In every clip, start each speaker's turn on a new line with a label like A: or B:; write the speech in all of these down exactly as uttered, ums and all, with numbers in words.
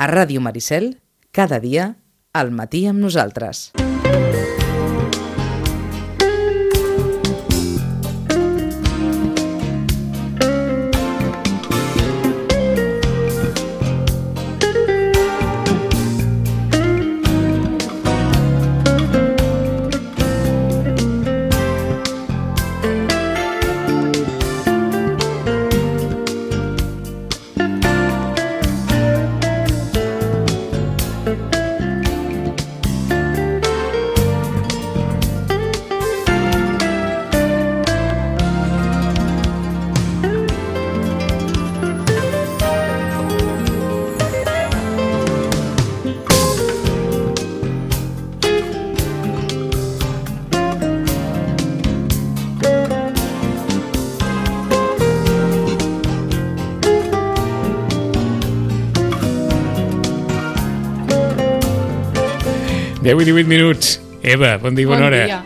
A: A Ràdio Maricel, cada dia, al matí amb nosaltres.
B: deu i divuit minuts. Eva, bon dia, bona hora.
C: Bon dia.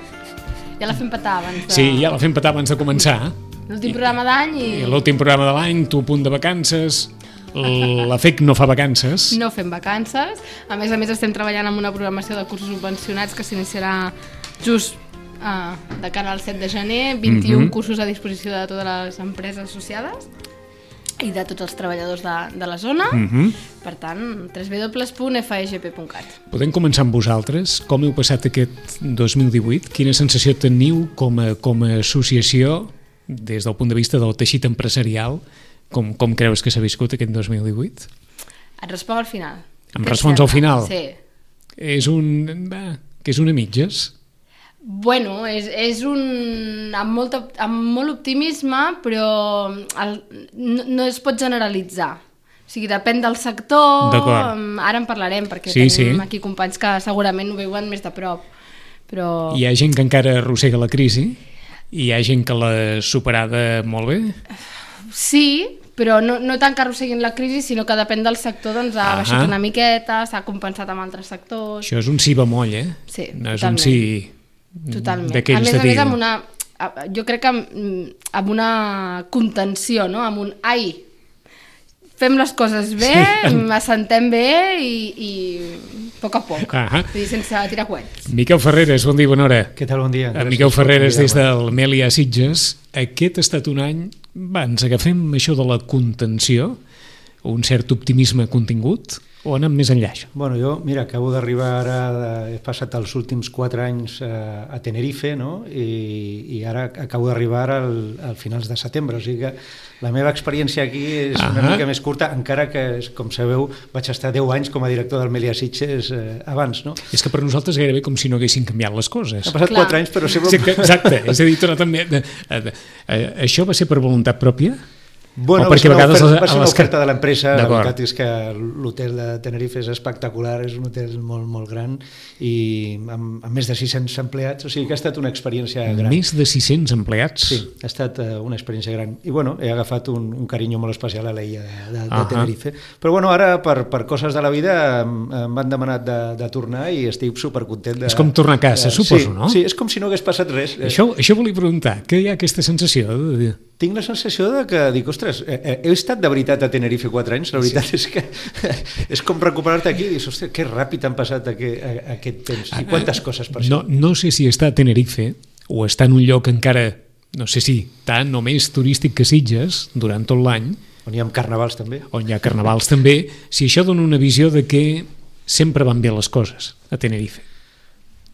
C: Ja la fem petar abans de...
B: Sí, ja la fem petar abans de començar.
C: L'últim programa d'any i...
B: I l'últim programa de l'any, tu a punt de vacances, la F E C no fa vacances.
C: No fem vacances. A més a més estem treballant amb una programació de cursos subvencionats que s'iniciarà just uh, de cara al set de gener, vint-i-un mm-hmm. cursos a disposició de totes les empreses associades i de tots els treballadors de, de la zona. Mm-hmm. Per tant, w w w punt f e g p punt cat.
B: Podem començar amb vosaltres. Com heu passat aquest dos mil divuit? Quina sensació teniu com a, com a associació des del punt de vista del teixit empresarial? Com, com creus que s'ha viscut aquest dos mil divuit?
C: Et responc al final.
B: Em respons al final?
C: Sí.
B: És un... Va, que és una mitges?
C: Bueno, és, és un... amb, molt, amb molt optimisme, però el, no, no es pot generalitzar. O sigui, depèn del sector, ara en parlarem, perquè sí, tenim sí. aquí companys que segurament ho veuen més de prop. Però...
B: Hi ha gent que encara arrossega la crisi? Hi ha gent que l'ha superada molt bé?
C: Sí, però no, no tant que arrosseguin la crisi, sinó que depèn del sector, doncs ha ah baixat una miqueta, s'ha compensat amb altres sectors...
B: Això és un sí bemoll, eh?
C: Sí,
B: no és
C: totalment.
B: un sí...
C: Totalment. A més a més, amb una, jo crec que amb, amb una contenció, no? Amb un ai, fem les coses bé, sí. assentem bé i, i a poc a poc, uh-huh. Vull dir, sense tirar coets.
B: Miquel Ferreres, bon dia, bona hora.
D: Què tal, bon dia?
B: Gràcies. Miquel Ferreres des del Melià Sitges. Aquest ha estat un any, va, ens agafem això de la contenció, un cert optimisme contingut, o anem més enllà, això?
D: Bueno, jo, mira, acabo d'arribar ara, he passat els últims quatre anys a, a Tenerife, no? I, i ara acabo d'arribar al, al finals de setembre, o sigui que la meva experiència aquí és uh-huh. una mica més curta, encara que, com sabeu, vaig estar deu anys com a director del Melià Sitges eh, abans, no?
B: És que per nosaltres gairebé com si no haguessin canviat les coses.
D: Ha passat quatre anys, però sempre...
B: Sí, exacte, és a dir, tu també... Això va ser per voluntat pròpia?
D: Bueno, va ser una oferta, va ser una oferta de l'empresa. La veritat és que l'hotel de Tenerife és espectacular, és un hotel molt, molt gran i amb, amb més de sis-cents empleats, o sigui que ha estat una experiència gran.
B: Més de sis-cents empleats?
D: Sí, ha estat uh, una experiència gran. I bueno, he agafat un, un carinyo molt especial a l'illa de, de, de uh-huh. Tenerife. Però bueno, ara per, per coses de la vida m'han demanat de, de tornar i estic supercontent. De,
B: és com tornar a casa, de, suposo,
D: sí,
B: no?
D: Sí, és com si no hagués passat res.
B: Això, això volia preguntar, què hi ha aquesta sensació de dir?
D: Tinc la sensació de que dic, ostres, he estat de veritat a Tenerife quatre anys, la veritat sí. és que és com recuperar-te aquí i dius, ostres, que ràpid han passat aquest, aquest temps i quantes coses per
B: no,
D: això.
B: No sé si està a Tenerife o està en un lloc encara, no sé si tant o més turístic que Sitges durant tot l'any.
D: On hi ha carnavals també.
B: On hi ha carnavals també. Si això dona una visió de que sempre van bé les coses a Tenerife.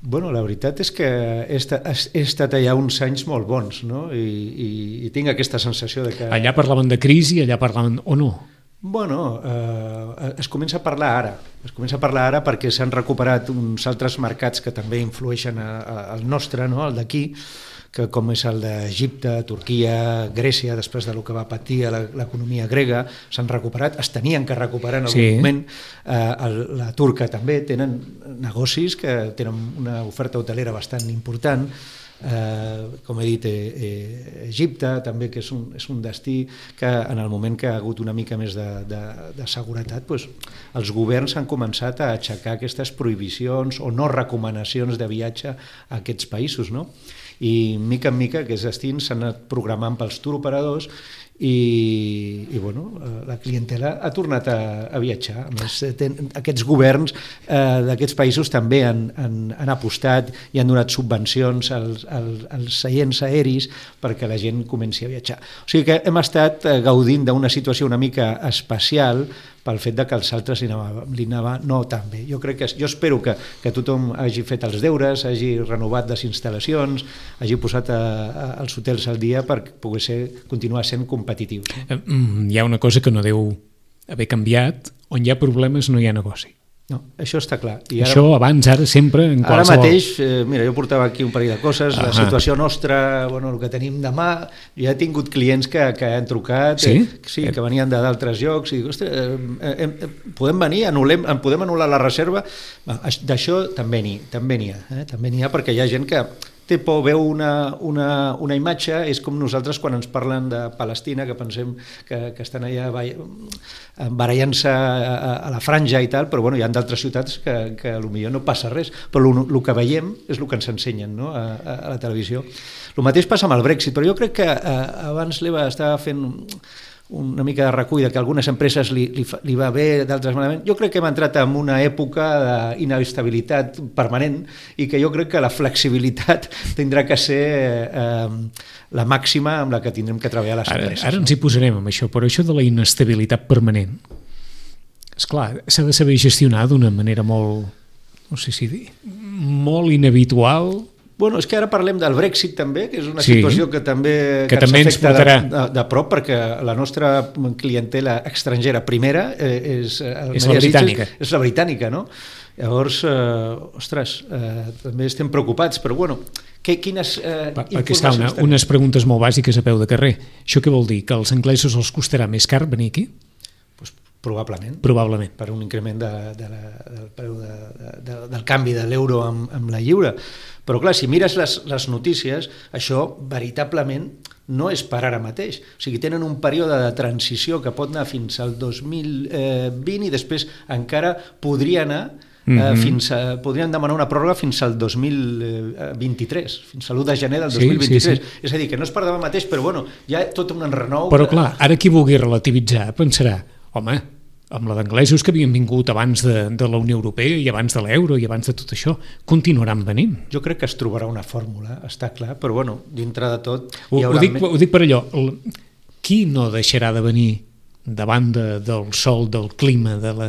D: Bueno, la veritat és que he estat, he estat allà uns anys molt bons, no? I, i, i tinc aquesta sensació de que...
B: Allà parlaven de crisi, allà parlaven... o no?
D: Bueno, eh, es comença a parlar ara. Es comença a parlar ara perquè s'han recuperat uns altres mercats que també influeixen a, a, al nostre, no? El d'aquí, que com és el d'Egipte, Turquia, Grècia, després del que va patir l'economia grega, s'han recuperat, es tenien que recuperar en algun sí. moment. Eh, la turca també, tenen negocis que tenen una oferta hotelera bastant important. Eh, com he dit, eh, eh, Egipte també, que és un, és un destí que en el moment que ha hagut una mica més de, de, de seguretat, doncs, els governs han començat a aixecar aquestes prohibicions o no recomanacions de viatge a aquests països, no? i mica en mica aquests destins s'han anat programant pels turoperadors i, i bueno, la clientela ha tornat a, a viatjar. A més, ten, aquests governs eh, d'aquests països també han, han, han apostat i han donat subvencions als, als, als seients aeris perquè la gent comenci a viatjar. O sigui que hem estat gaudint d'una situació una mica especial pel fet de que els altres li anava, li anava no tan bé. Jo crec que, jo espero que, que tothom hagi fet els deures, hagi renovat les instal·lacions, hagi posat a, a, els hotels al dia per poder ser, continuar sent competitius. No?
B: Hi ha una cosa que no deu haver canviat, on hi ha problemes no hi ha negoci.
D: No, això està clar. I ara,
B: això abans, ara, sempre, en qualsevol...
D: Ara mateix, eh, mira, jo portava aquí un parell de coses, ah, la situació nostra, bueno, el que tenim demà, jo he tingut clients que, que han trucat,
B: sí?
D: Eh, sí, que venien d'altres llocs, i dic, ostres, eh, eh, eh, podem venir, anul·lem, podem anul·lar la reserva? D'això també n'hi també n'hi ha, eh? també n'hi ha, perquè hi ha gent que té por, veu una, una, una imatge, és com nosaltres quan ens parlen de Palestina, que pensem que, que estan allà barallant-se a, a la franja i tal, però bueno, hi ha d'altres ciutats que, que potser no passa res, però el que veiem és el que ens ensenyen, no? a, a la televisió. El mateix passa amb el Brexit, però jo crec que eh, abans l'Eva estava fent una mica de recull de que algunes empreses li, li, li va bé, d'altres malament. Jo crec que hem entrat en una època d'inestabilitat permanent i que jo crec que la flexibilitat tindrà que ser eh, la màxima amb la que tindrem que treballar les empreses.
B: Ara, ara ens hi posarem amb això, però això de la inestabilitat permanent, esclar, s'ha de saber gestionar d'una manera molt, no sé si dir, molt inhabitual.
D: Bueno, és que ara parlem del Brexit també, que és una sí, situació que també,
B: que que també ens afecta de,
D: de, de prop, perquè la nostra clientela estrangera primera eh, és,
B: és la britànica.
D: És, és la britànica, no? Llavors, eh, ostres, eh, també estem preocupats, però bueno, que, quines eh,
B: pa, informacions una, unes preguntes molt bàsiques a peu de carrer. Això què vol dir? Que als anglesos els costarà més car venir aquí?
D: Pues, probablement.
B: Probablement.
D: Per un increment de, de la, del preu de, de, de, del canvi de l'euro amb, amb la lliure. Però clar, si mires les, les notícies, això veritablement no és per ara mateix. O sigui, tenen un període de transició que pot anar fins al dos mil vint i després encara podria anar eh, mm-hmm. fins a, podrien demanar una pròrroga fins al dos mil vint-i-tres, fins a l'u de gener del dos mil vint-i-tres. Sí, sí, sí. És a dir, que no és per demà mateix, però bueno, hi ha tot un enrenou.
B: Però clar, ara qui vulgui relativitzar pensarà, home, amb la d'anglesos que havien vingut abans de, de la Unió Europea i abans de l'euro i abans de tot això, continuaran venint.
D: Jo crec que es trobarà una fórmula, està clar, però bueno, dintre de tot...
B: Ho, ho, dic, ho dic per allò, el, qui no deixarà de venir davant de, del sol, del clima, de la...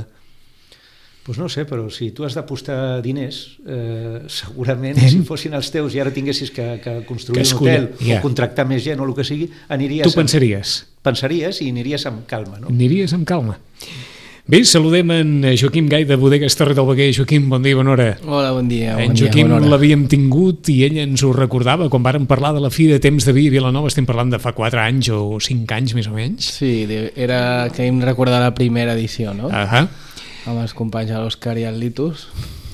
D: Pues no sé, però si tu has d'apostar diners, eh, segurament eh? si fossin els teus i ara tinguessis que, que construir que un hotel ja. o contractar més gent o el que sigui, aniries...
B: Tu pensaries?
D: Amb, pensaries i aniries amb calma, no?
B: Aniries amb calma. Bé, saludem en Joaquim Gai de Bodegues Torre del Veguer. Joaquim, bon dia, bona hora.
E: Hola, bon dia.
B: En
E: bon
B: Joaquim
E: dia,
B: l'havíem tingut i ell ens ho recordava quan vàrem parlar de la fi de temps de vi a Vilanova. Estem parlant de fa quatre anys o cinc anys, més o menys.
E: Sí, era que hem recordat la primera edició, no?
B: Ahà.
E: Amb els companys de l'Òscar i el Litus.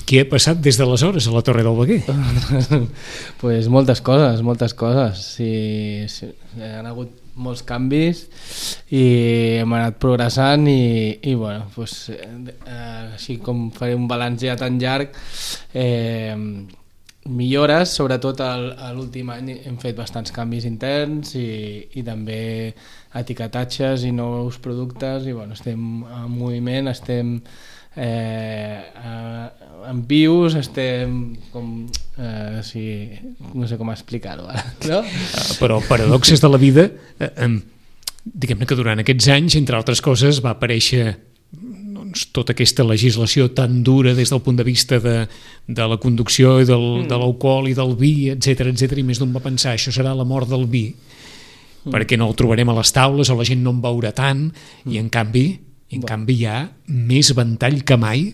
B: Què ha passat des d'aleshores a la Torre del Veguer?
E: Pues moltes coses, moltes coses. Sí, sí, han hagut molts canvis i hem anat progressant i, i bueno, pues, eh, així com faré un balanç ja tan llarg, eh, millores, sobretot a l'últim any hem fet bastants canvis interns i, i també etiquetatges i nous productes i bueno, estem en moviment, estem eh, en vius, estem com eh, sí, no sé com explicar-ho ara, no?
B: Però paradoxes de la vida, eh, eh, diguem-ne que durant aquests anys, entre altres coses, va aparèixer doncs, tota aquesta legislació tan dura des del punt de vista de, de la conducció i del, mm. de l'alcohol i del vi, etcètera, etcètera, i més d'un va pensar, això serà la mort del vi, mm. perquè no el trobarem a les taules o la gent no en beurà tant, mm. i en canvi I en canvi hi ha més ventall que mai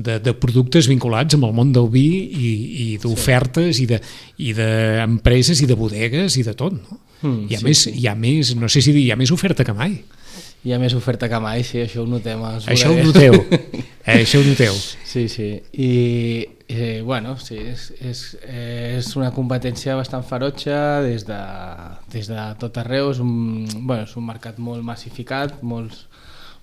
B: de, de productes vinculats amb el món del vi i, i d'ofertes sí. i, de, i d'empreses i de bodegues i de tot, no? Mm, hi, ha sí, més, sí. hi ha més, no sé si dir, hi ha més oferta que mai.
E: Hi ha més oferta que mai, sí, això ho notem.
B: Això ho noteu, eh, això ho noteu.
E: Sí, sí, i eh, bueno, sí, és, és, és una competència bastant ferotge des de, des de tot arreu, és un, bueno, és un mercat molt massificat, molts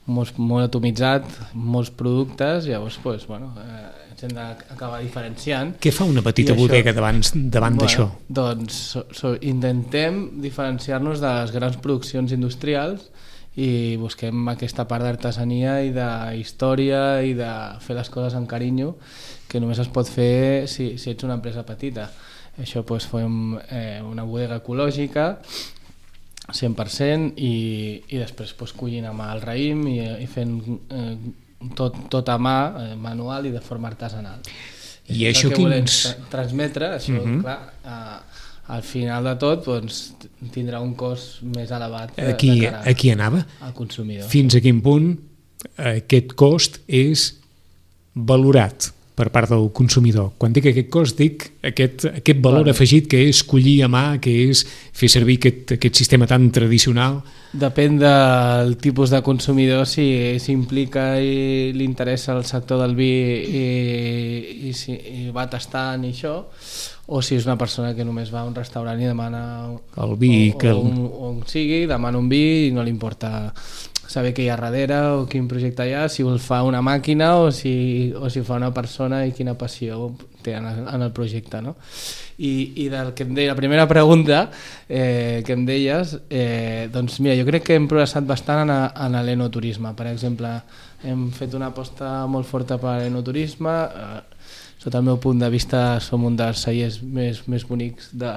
E: Molt, molt atomitzat, molts productes, llavors pues, bueno, eh, ens hem d'acabar diferenciant.
B: Què fa una petita bodega davant, davant
E: bueno,
B: d'això?
E: Doncs so, so, intentem diferenciar-nos de les grans produccions industrials i busquem aquesta part d'artesania i de història i de fer les coses amb carinyo que només es pot fer si, si ets una empresa petita. Això doncs, fem eh, una bodega ecològica cent per cent i, i després doncs, collint amb el raïm i, i fent eh, tot, tot a mà, eh, manual i de forma artesanal.
B: I això, això
E: que volem
B: quins...
E: tra transmetre, això, uh -huh. clar, eh, al final de tot doncs, tindrà un cost més elevat de,
B: aquí,
E: de cara
B: aquí anava.
E: al consumidor.
B: Fins a quin punt aquest cost és valorat per part del consumidor? Quan dic aquest cost, dic aquest, aquest valor bueno, afegit que és collir a mà, que és fer servir aquest, aquest sistema tan tradicional.
E: Depèn del tipus de consumidor, si s'implica i li interessa el sector del vi i, i, si, i va tastant i això, o si és una persona que només va a un restaurant i demana
B: el vi,
E: o,
B: que el...
E: o on, on sigui, demana un vi i no li importa saber què hi ha darrere o quin projecte hi ha, si el fa una màquina o si, o si fa una persona i quina passió té en el, en el projecte, no? I, i del que em deia, la primera pregunta eh, que em deies, eh, doncs mira, jo crec que hem progressat bastant en, a, en l'enoturisme. Per exemple, hem fet una aposta molt forta per l'enoturisme. Eh, sota el meu punt de vista som un dels cellers més, més bonics de,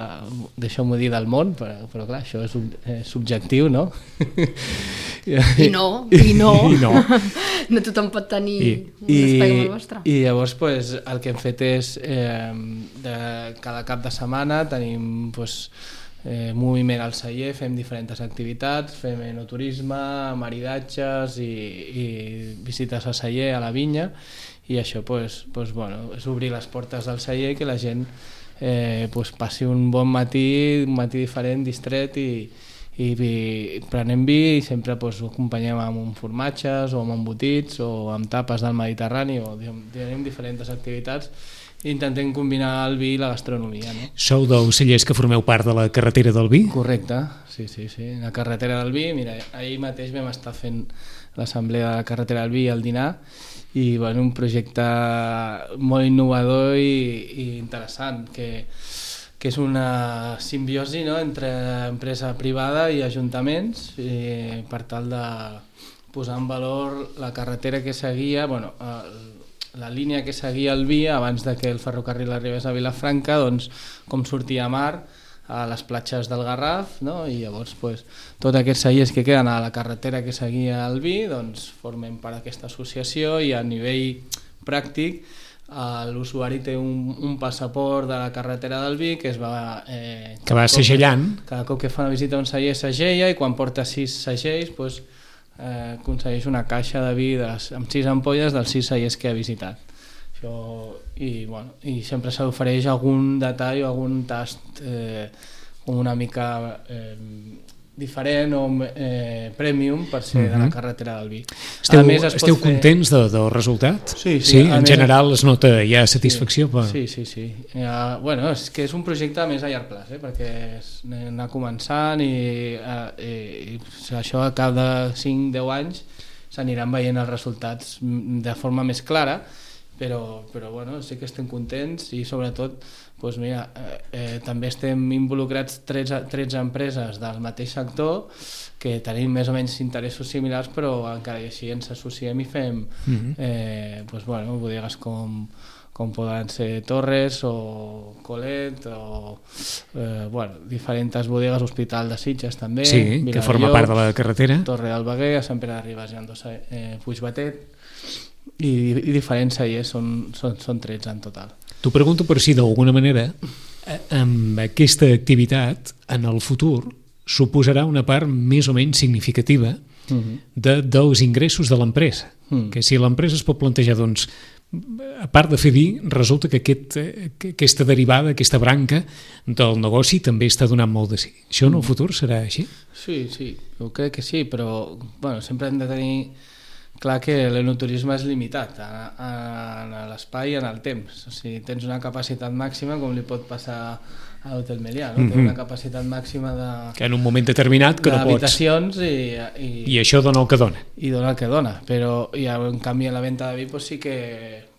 E: deixeu-m'ho dir, del món, però, però clar, això és, és subjectiu, no?
C: I no, i no.
B: I no.
C: No tothom pot tenir
B: I,
C: un espai com el vostre.
E: I llavors pues, el que hem fet és eh, de cada cap de setmana tenim pues, eh, moviment al celler, fem diferents activitats, fem enoturisme, maridatges i, i visites al celler, a la vinya, i això pues, pues, bueno, és obrir les portes del celler i que la gent eh, pues, passi un bon matí, un matí diferent, distret i, i, i prenem vi i sempre pues, ho acompanyem amb un formatges o amb embotits o amb tapes del Mediterrani o tenim diferents activitats i intentem combinar el vi i la gastronomia, no?
B: Sou dels cellers que formeu part de la carretera del vi?
E: Correcte, sí, sí, sí. La carretera del vi, mira, ahir mateix vam estar fent l'assemblea de la carretera del vi i el dinar i bueno, un projecte molt innovador i, i interessant que, que és una simbiosi, no?, entre empresa privada i ajuntaments i per tal de posar en valor la carretera que seguia, bueno, la línia que seguia el vi abans de que el ferrocarril arribés a Vilafranca, doncs com sortia a mar a les platges del Garraf, no? I llavors pues, tots aquests cellers que queden a la carretera que seguia el vi doncs, formen part d'aquesta associació i a nivell pràctic l'usuari té un, un passaport de la carretera del vi que es va... Eh,
B: que va segellant.
E: Cada cop que fa una visita a un celler segella i quan porta sis segells pues, eh, aconsegueix una caixa de vi de les, amb sis ampolles dels sis cellers que ha visitat. Això, i, bueno, i sempre s'ofereix algun detall o algun tast eh, com una mica eh, diferent o eh, premium per ser uh-huh. de la carretera del vi.
B: Esteu,
E: més,
B: esteu
E: fer...
B: contents de, del resultat?
E: Sí, sí,
B: sí en
E: més...
B: general es nota ja satisfacció?
E: Sí,
B: per...
E: sí, sí, sí. Uh, bueno, és que és un projecte més a llarg plaç, eh, perquè és anar començant i, uh, i, i això a cap de cinc a deu anys s'aniran veient els resultats de forma més clara. Però, però bueno, sí que estem contents i sobretot doncs mira, eh, eh, també estem involucrats tretze, tretze empreses del mateix sector que tenim més o menys interessos similars però encara i així ens associem i fem mm-hmm. eh, doncs, bueno, bodegues com, com poden ser Torres o Colet o eh, bueno, diferents bodegues, Hospital de Sitges també,
B: sí,
E: Viladellocs,
B: que forma part de la carretera,
E: Torre del Baguer, a Sant Pere de Ribes i Andossa, eh, Puigbatet i, i diferents cellers, són, són, són tretze en total.
B: T'ho pregunto per si d'alguna manera amb aquesta activitat en el futur suposarà una part més o menys significativa uh-huh. de, dels ingressos de l'empresa, uh-huh. que si l'empresa es pot plantejar doncs, a part de fer vi, resulta que, aquest, que aquesta derivada, aquesta branca del negoci també està donant molt de sí. Això en el futur serà així?
E: Sí, sí, jo crec que sí, però bueno, sempre hem de tenir clar que l'enoturisme és limitat en l'espai i en el temps. O sigui, tens una capacitat màxima com li pot passar a l'Hotel Melià, no? Mm-hmm. Té una capacitat màxima de...
B: Que en un moment determinat que no pots...
E: d'habitacions i, i...
B: I això dona el que dona.
E: I dona el que dona, però i en canvi a la venda de vi pues, sí que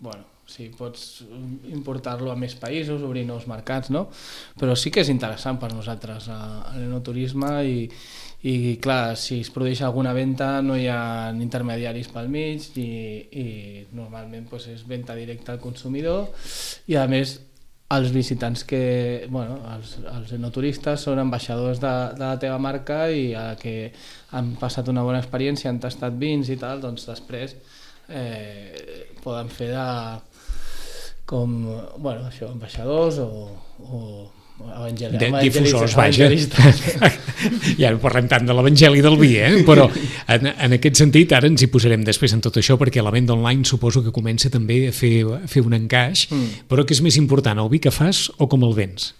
E: bueno, O sigui, pots importar-lo a més països, obrir nous mercats, no? Però sí que és interessant per nosaltres l'enoturisme i, i clar, si es produeix alguna venda no hi ha intermediaris pel mig i, i normalment pues, és venda directa al consumidor i a més els visitants que, bueno, els, els enoturistes són ambaixadors de, de la teva marca i a que han passat una bona experiència, han tastat vins i tal, doncs després eh, poden fer de com, bueno, això, ambaixadors o, o evangeli-
B: de,
E: evangelistes,
B: difusors, vaja.
E: evangelistes.
B: Ja no parlem tant de l'evangeli del vi, eh? Però en, en aquest sentit ara ens hi posarem després en tot això perquè la venda online suposo que comença també a fer, a fer un encaix, mm. però què és més important, el vi que fas o com el vens?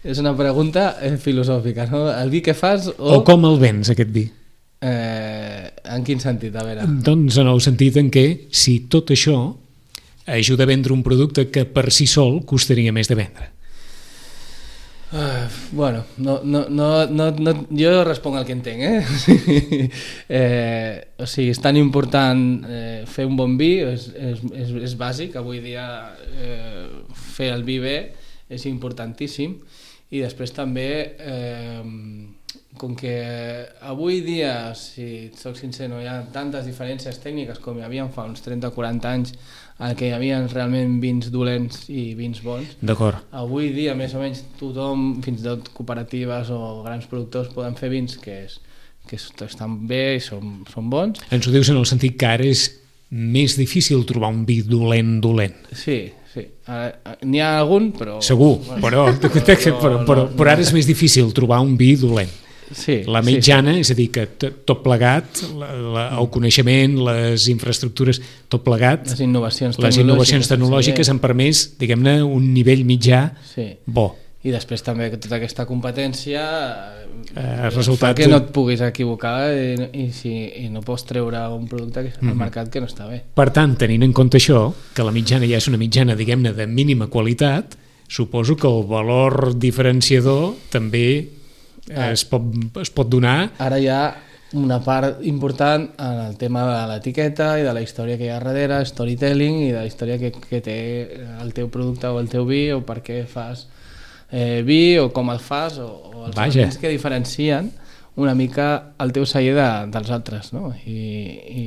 E: És una pregunta filosòfica, no? El vi que fas o...
B: O com el vens, aquest vi?
E: Eh, en quin sentit? A veure.
B: Doncs en el sentit en què si tot això ajuda a vendre un producte que per si sol costaria més de vendre.
E: Uh, bueno, no, no, no, no, no, jo responc el que entenc, eh? eh o sigui, és tan important eh, fer un bon vi, és, és, és, és bàsic, avui dia eh, fer el vi bé és importantíssim i després també eh, com que avui dia, si et soc sincer, no hi ha tantes diferències tècniques com hi havia fa uns trenta o quaranta anys en què hi havia realment vins dolents i vins bons.
B: D'acord.
E: Avui dia, més o menys, tothom, fins i tot cooperatives o grans productors, poden fer vins que, és, que estan bé i són, són bons.
B: Ens ho dius en el sentit que ara és més difícil trobar un vi dolent, dolent.
E: Sí, sí. N'hi ha algun, però...
B: Segur, però, però, però, però, però ara és més difícil trobar un vi dolent.
E: Sí,
B: la mitjana,
E: sí, sí.
B: És a dir, que tot plegat, la, la, el coneixement, les infraestructures, tot plegat,
E: les innovacions
B: les innovacions tecnològiques han permès, diguem-ne, un nivell mitjà
E: sí.
B: bo.
E: I després també tota aquesta competència
B: eh, resultat...
E: fa que no et puguis equivocar i, i, si, i no pots treure un producte al mm-hmm. mercat que no està bé.
B: Per tant, tenint en compte això, que la mitjana ja és una mitjana, diguem-ne, de mínima qualitat, suposo que el valor diferenciador també Es pot, es pot donar.
E: Ara hi ha una part important en el tema de l'etiqueta i de la història que hi ha darrere, storytelling i de la història que, que té el teu producte o el teu vi o per què fas eh, vi o com el fas o, o els elements que diferencien una mica el teu celler de, dels altres, no? I, i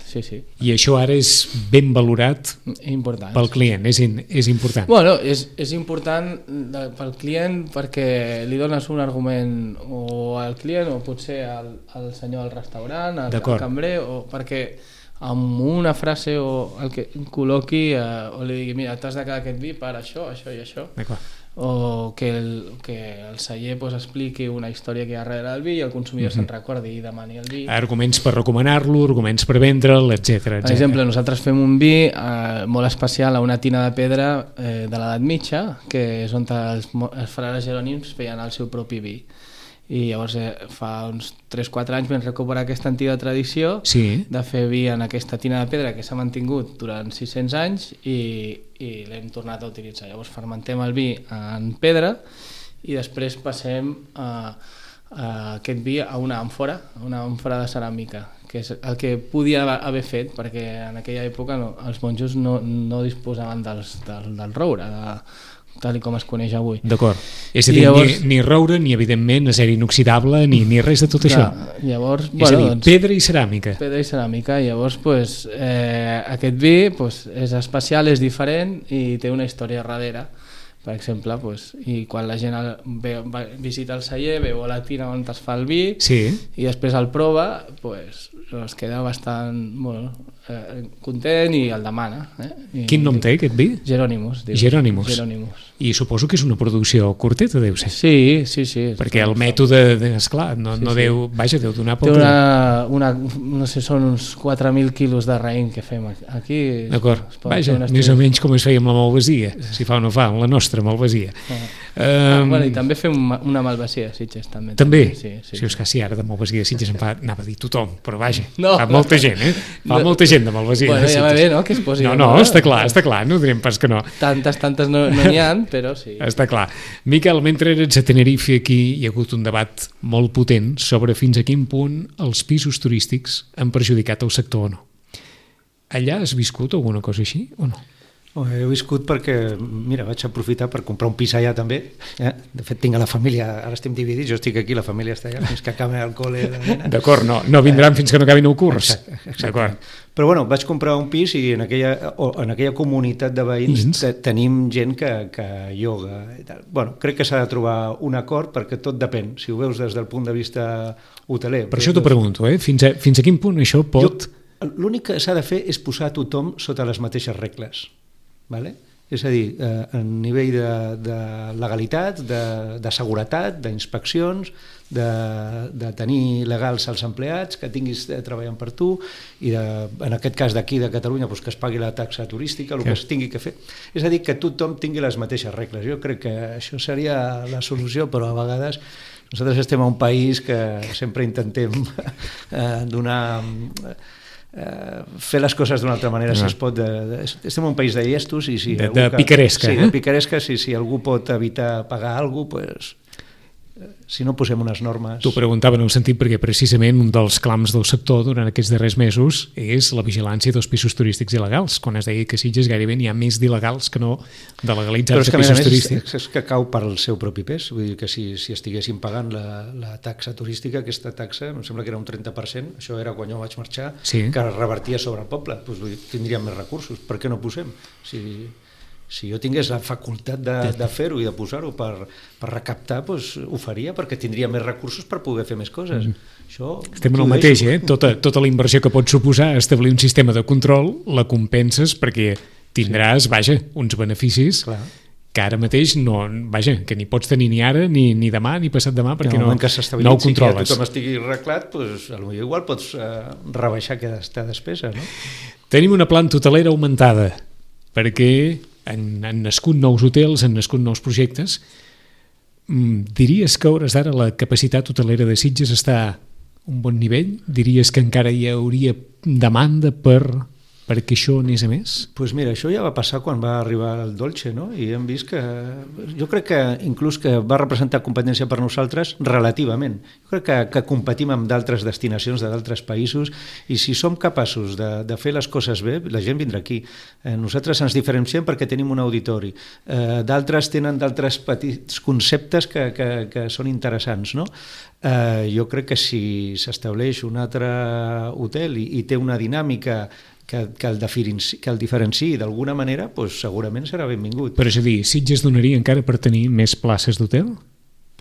E: sí, sí.
B: I això ara és ben valorat
E: important,
B: pel client, és, in, és important.
E: Bueno, és, és important pel client perquè li dones un argument o al client o potser al, al senyor del restaurant, al, al cambrer, o perquè amb una frase o el que col·loqui eh, o li digui, mira, t'has de quedar aquest vi per això, això i això.
B: D'acord.
E: O que el, que el celler pues, expliqui una història que hi ha darrere del vi i el consumidor mm-hmm. se'n recordi i demani el vi.
B: Arguments per recomanar-lo, arguments per vendre'l, etcètera.
E: Per exemple, nosaltres fem un vi eh, molt especial a una tina de pedra eh, de l'edat mitja, que és on els, els frares jerònims feien el seu propi vi. I llavors eh, fa uns tres o quatre anys vam recuperar aquesta antiga tradició
B: sí.
E: de fer vi en aquesta tina de pedra que s'ha mantingut durant sis-cents anys i, i l'hem tornat a utilitzar. Llavors fermentem el vi en pedra i després passem a, a aquest vi a una àmfora, a una àmfora de ceràmica, que és el que podia haver fet perquè en aquella època no, els monjos no, no disposaven dels, del, del roure, de, tal com es coneix avui.
B: D'acord. És a dir, llavors, ni, ni roure, ni evidentment acer inoxidable, ni, ni res de tot clar, això.
E: Llavors,
B: és
E: bueno,
B: a dir,
E: doncs,
B: pedra i ceràmica.
E: Pedra i ceràmica. Llavors, pues, eh, aquest vi pues, és especial, és diferent i té una història darrere. Per exemple, pues, i quan la gent ve, va, visita el celler, veu la tina on es fa el vi
B: sí.
E: i després el prova, pues, es queda bastant bueno, eh, content i el demana. Eh? I,
B: Quin nom té aquest vi?
E: Jerònimus.
B: Jerònimus.
E: Jerònimus.
B: I suposo que és una producció curteta, deu ser.
E: Sí, sí, sí.
B: Perquè el mètode, esclar, no,
E: sí,
B: no
E: sí.
B: deu, vaja, deu donar
E: pel... Té una, una, no sé, són uns quatre mil quilos de raïm que fem aquí.
B: D'acord, vaja, més o menys com es feia amb la malvasia, si fa o no fa, amb la nostra malvasia.
E: Ah.
B: Um,
E: ah, bueno, i també fem una malvasia a Sitges, també.
B: També?
E: Sí, sí.
B: Si és que sí, ara de malvasia a Sitges em fa, anava a dir tothom, però vaja,
E: no.
B: fa molta gent, eh? Fa no. molta gent de malvasia
E: bueno,
B: a Sitges.
E: Ja va bé, no?, que es posi...
B: No, no, no, està clar, està clar, no direm pas que no.
E: Tantes, tantes no n'hi ha, però sí.
B: Està clar. Miquel, mentre eres a Tenerife, aquí hi ha hagut un debat molt potent sobre fins a quin punt els pisos turístics han perjudicat el sector o no. allà has viscut alguna cosa així o no?
D: Oh, he viscut perquè, mira, vaig aprofitar per comprar un pis allà també. Eh? De fet, tinc a la família, ara estem dividits, jo estic aquí, la família està allà, fins que acabi el col·le.
B: D'acord, no, no vindran eh, fins que no acabin el curs.
D: Exacte, exacte. Però bueno, vaig comprar un pis i en aquella, o, en aquella comunitat de veïns te, tenim gent que, que ioga i tal. Bueno, crec que s'ha de trobar un acord perquè tot depèn, si ho veus des del punt de vista hoteler.
B: Per això t'ho pregunto, eh? fins, a, fins a quin punt això pot...
D: L'únic que s'ha de fer és posar tothom sota les mateixes regles. Vale? És a dir, eh, a nivell de, de legalitat, de, de seguretat, d'inspeccions, de, de tenir legals als empleats, que tinguis treballant per tu, i de, en aquest cas d'aquí de Catalunya doncs que es pagui la taxa turística, el que es tingui que fer. És a dir, que tothom tingui les mateixes regles. Jo crec que això seria la solució, però a vegades nosaltres estem a un país que sempre intentem eh, donar... Uh, fer les coses d'una altra manera, no. si es pot. De, de, estem en un país de llestos i si
B: de, de que, picaresca.
D: Sí, de picaresca, si, si algú pot evitar pagar alguna cosa, pues, si no posem unes normes...
B: T'ho preguntava en un sentit perquè precisament un dels clams del sector durant aquests darrers mesos és la vigilància dels pisos turístics il·legals, quan es deia que a Sitges gairebé n'hi ha més d'il·legals que no de legalitzats de pisos turístics.
D: Però és que cau per el seu propi pes, vull dir que si, si estiguessin pagant la, la taxa turística, aquesta taxa, em sembla que era un trenta per cent, això era quan jo vaig marxar, sí. que revertia sobre el poble, doncs, vull dir, tindríem més recursos, per què no posem? Si... Si jo tingués la facultat de, de fer-ho i de posar-ho per, per recaptar, doncs ho faria, perquè tindria més recursos per poder fer més coses. Mm. Això,
B: estem en el mateix, eh? Tota, tota la inversió que pot suposar establir un sistema de control la compenses perquè tindràs, sí. vaja, uns beneficis Clar. que ara mateix no, vaja, que ni pots tenir ni ara, ni, ni demà, ni passat demà, perquè no, no ho controles.
D: Si tothom estigui arreglat, doncs, potser igual pots eh, rebaixar aquesta despesa, no?
B: Tenim una planta hotelera augmentada, perquè Han, han nascut nous hotels, han nascut nous projectes. Diries que a hores d'ara la capacitat hotelera de Sitges està a un bon nivell? Diries que encara hi hauria demanda per, perquè això anés a més?
D: Doncs pues mira, això ja va passar quan va arribar el Dolce, no? I hem vist que... Jo crec que inclús que va representar competència per nosaltres relativament. Jo crec que, que competim amb d'altres destinacions de d'altres països i si som capaços de, de fer les coses bé, la gent vindrà aquí. Eh, nosaltres ens diferenciem perquè tenim un auditori. Eh, d'altres tenen d'altres petits conceptes que, que, que són interessants, no? Eh, jo crec que si s'estableix un altre hotel i, i té una dinàmica que, que, el diferenci, que el diferenciï d'alguna manera, doncs segurament serà benvingut.
B: Però és a dir, Sitges donaria encara per tenir més places d'hotel?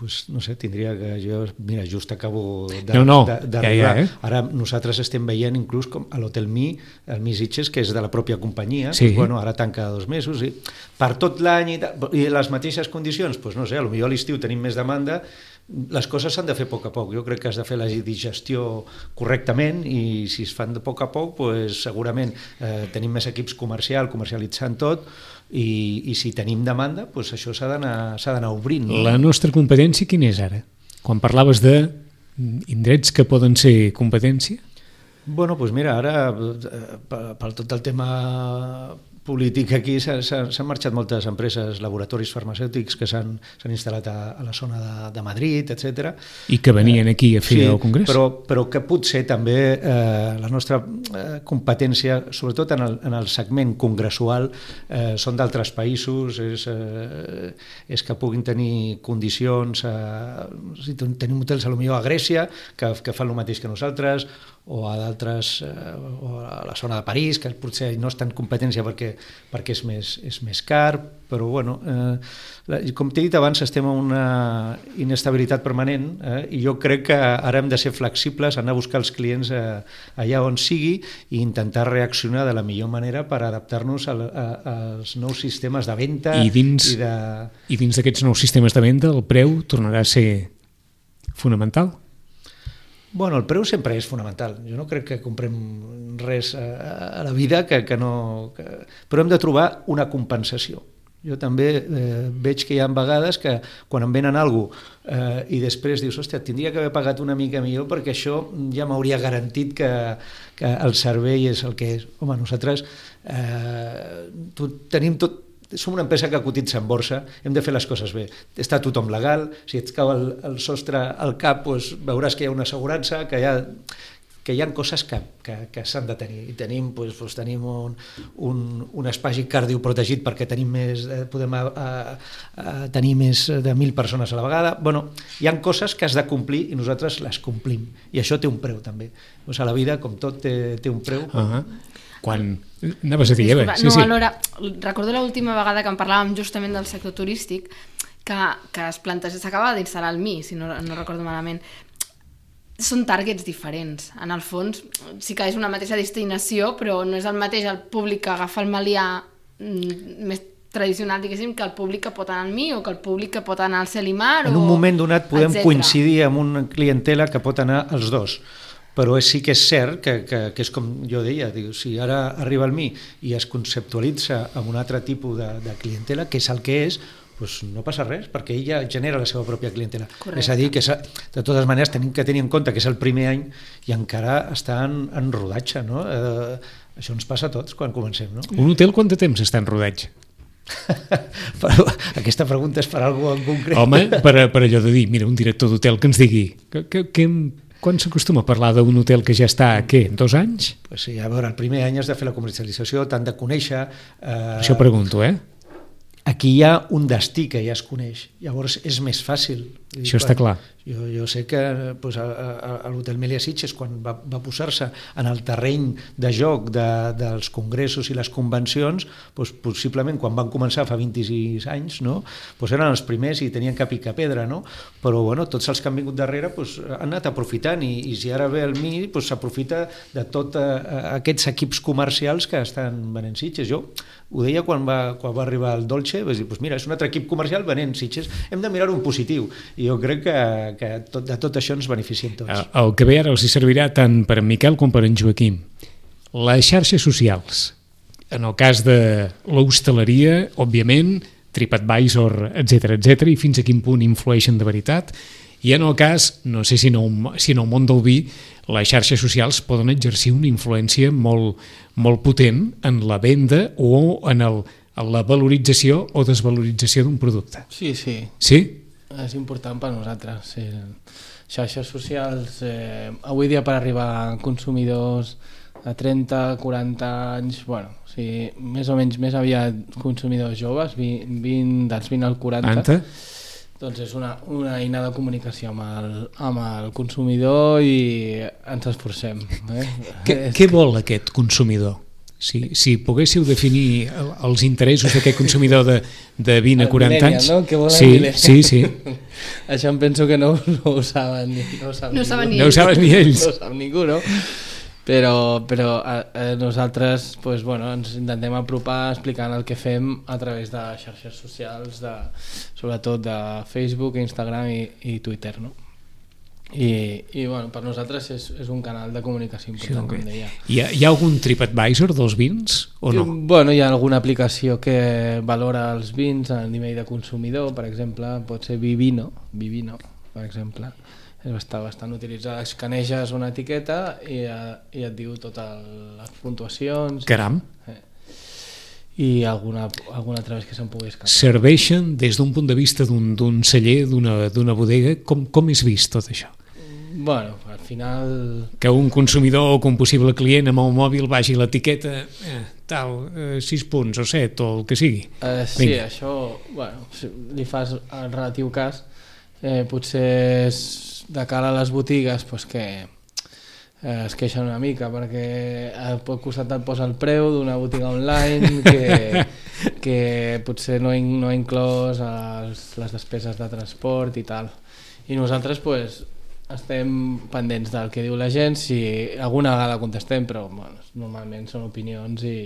D: Pues, no sé, tindria que jo... Mira, just acabo de,
B: no, no,
D: de, de
B: ja, ja, eh?
D: Ara nosaltres estem veient inclús com a l'Hotel Mi, el Mi Sitges, que és de la pròpia companyia,
B: sí.
D: pues, bueno, ara tanca dos mesos, i per tot l'any i, i les mateixes condicions, pues, no sé, potser a l'estiu tenim més demanda, les coses s'han de fer a poc a poc. Jo crec que has de fer la digestió correctament i si es fan de poc a poc, pues, segurament eh, tenim més equips comercial, comercialitzant tot, i, i si tenim demanda, pues, això s'ha d'anar obrint. No?
B: La nostra competència quina és ara? Quan parlaves de indrets que poden ser competència?
D: Bueno, doncs mira, ara per, per tot el tema polític aquí s'han marxat moltes empreses, laboratoris farmacèutics que s'han instal·lat a, a la zona de, de Madrid, etcètera.
B: I que venien aquí a fer
D: sí,
B: el congrés.
D: Però, però que potser també eh, la nostra eh, competència, sobretot en el, en el segment congressual, eh, són d'altres països, és, eh, és que puguin tenir condicions, eh, si tenim hotels potser a Grècia, que, que fan el mateix que nosaltres, o a d'altres, eh, o a la zona de París, que potser no és tan competència perquè, perquè és, més, és més car, però bueno, eh, la, com t'he dit abans, estem en una inestabilitat permanent eh, i jo crec que ara hem de ser flexibles, anar a buscar els clients eh, allà on sigui i intentar reaccionar de la millor manera per adaptar-nos a, a, als nous sistemes de venda.
B: I dins, i de... i dins d'aquests nous sistemes de venda el preu tornarà a ser fonamental?
D: Bueno, el preu sempre és fonamental. Jo no crec que comprem res a, a la vida que, que no... Que... Però hem de trobar una compensació. Jo també eh, veig que hi ha vegades que quan em venen alguna cosa eh, i després dius, hòstia, tindria que haver pagat una mica millor perquè això ja m'hauria garantit que, que el servei és el que és. Home, nosaltres eh, tenim tot... Som una empresa que cotitza en borsa, hem de fer les coses bé. Està tothom legal, si et cau el, el sostre al cap, doncs veuràs que hi ha una assegurança, que hi ha... que hi ha coses que, que, que s'han de tenir. I tenim, doncs, doncs, tenim un, un, un espai cardioprotegit perquè tenim més, podem a, a, a tenir més de mil persones a la vegada. Bueno, hi ha coses que has de complir i nosaltres les complim. I això té un preu, també. Doncs a la vida, com tot, té, té un preu.
B: Uh -huh. Quan... Anaves a dir,
C: Disculpa,
B: Eva? Sí,
C: no,
B: sí.
C: Alhora, recordo l'última vegada que en parlàvem justament del sector turístic, que, que es planteja, s'acaba d'instal·lar el M I, si no, no recordo malament. Són targets diferents. En el fons, sí que és una mateixa destinació, però no és el mateix el públic que agafa el Melià mm, més tradicional, diguéssim, que el públic que pot anar al M I o que el públic que pot anar al Cel i Mar.
D: En un
C: o,
D: moment donat podem
C: etcètera
D: coincidir amb una clientela que pot anar als dos. Però sí que és cert que, que, que és com jo deia, diu, si ara arriba el M I i es conceptualitza amb un altre tipus de, de clientela, que és el que és, doncs no passa res, perquè ella genera la seva pròpia clientela. Correcte. És a dir, que de totes maneres tenim que tenir en compte que és el primer any i encara està en, en rodatge, no? Eh, això ens passa a tots quan comencem, no?
B: Un hotel quant de temps està en rodatge?
D: Però aquesta pregunta és per a algú en concret.
B: Home, per, per allò de dir, mira, un director d'hotel que ens digui que, que, que, quan s'acostuma a parlar d'un hotel que ja està, què, dos anys?
D: Pues sí, a veure, el primer any has de fer la comercialització, t'han de conèixer... Eh,
B: Això pregunto, eh?
D: Aquí hi ha un destí que ja es coneix, llavors és més fàcil.
B: Això està clar.
D: Jo, jo sé que pues, a, a, a l'Hotel Melià Sitges, quan va, va posar-se en el terreny de joc de, dels congressos i les convencions, pues, possiblement quan van començar fa vint-i-sis anys, no? Pues eren els primers i tenien que picar pedra, no? Però bueno, tots els que han vingut darrere pues, han anat aprofitant i, i si ara ve el M I pues, s'aprofita de tots uh, aquests equips comercials que estan venent Sitges. Jo ho deia quan va, quan va arribar el Dolce, vaig dir, pues mira, és un altre equip comercial venent Sitges, hem de mirar un positiu i jo crec que, que tot, de tot això ens beneficiem tots.
B: El, el que ve ara els hi servirà tant per en Miquel com per en Joaquim. Les xarxes socials, en el cas de l'hostaleria, òbviament, TripAdvisor, etcètera, etcètera, i fins a quin punt influeixen de veritat, i en el cas, no sé si en el, si en el món del vi, les xarxes socials poden exercir una influència molt, molt potent en la venda o en, el, en la valorització o desvalorització d'un producte.
E: Sí, sí.
B: Sí?
E: És important per nosaltres. Sí. Xarxes socials, eh, avui dia per arribar a consumidors de trenta, quaranta anys, bueno, o sigui, més o menys més aviat consumidors joves, vint, dels vint al quaranta,
B: Anta?
E: doncs és una, una eina de comunicació amb el, amb el consumidor i ens esforcem. Eh?
B: Què, què vol aquest consumidor? Si, si poguéssiu definir els interessos d'aquest consumidor de, de vint a quaranta anys...
E: No? Què vol
B: sí, sí, sí.
E: Això em penso que no, no ho saben ni, no ho saben
C: no
E: ningú.
C: saben ni
B: no ho saben ni ells.
E: No ho sap ningú, no? Però, però a, a nosaltres pues, bueno, ens intentem apropar explicant el que fem a través de xarxes socials, de, sobretot de Facebook, Instagram i, i Twitter, no? I, i bueno, per nosaltres és, és un canal de comunicació important, sí, okay. Com deia.
B: Hi ha, hi ha algun TripAdvisor dels vins o no?
E: Bueno, hi ha alguna aplicació que valora els vins a nivell de consumidor, per exemple, pot ser Vivino, Vivino, per exemple. Està bastant utilitzada, escaneges una etiqueta i, i et diu totes les puntuacions.
B: Caram.
E: Eh. I alguna, alguna altra vegada que se'n pugui escapar.
B: Serveixen des d'un punt de vista d'un celler, d'una bodega, com, com és vist tot això?
E: Bueno, al final...
B: Que un consumidor o que un possible client amb el mòbil vagi a l'etiqueta, eh, tal, eh, sis punts o set o el que sigui.
E: Eh, sí, Vinga. Això, bueno, si li fas el relatiu cas, eh, potser és de cara a les botigues pues que eh, es queixen una mica perquè al costat et posa el preu d'una botiga online que, que potser no, in, no ha inclòs els, les despeses de transport i tal, i nosaltres pues, estem pendents del que diu la gent, si alguna vegada contestem, però bueno, normalment són opinions i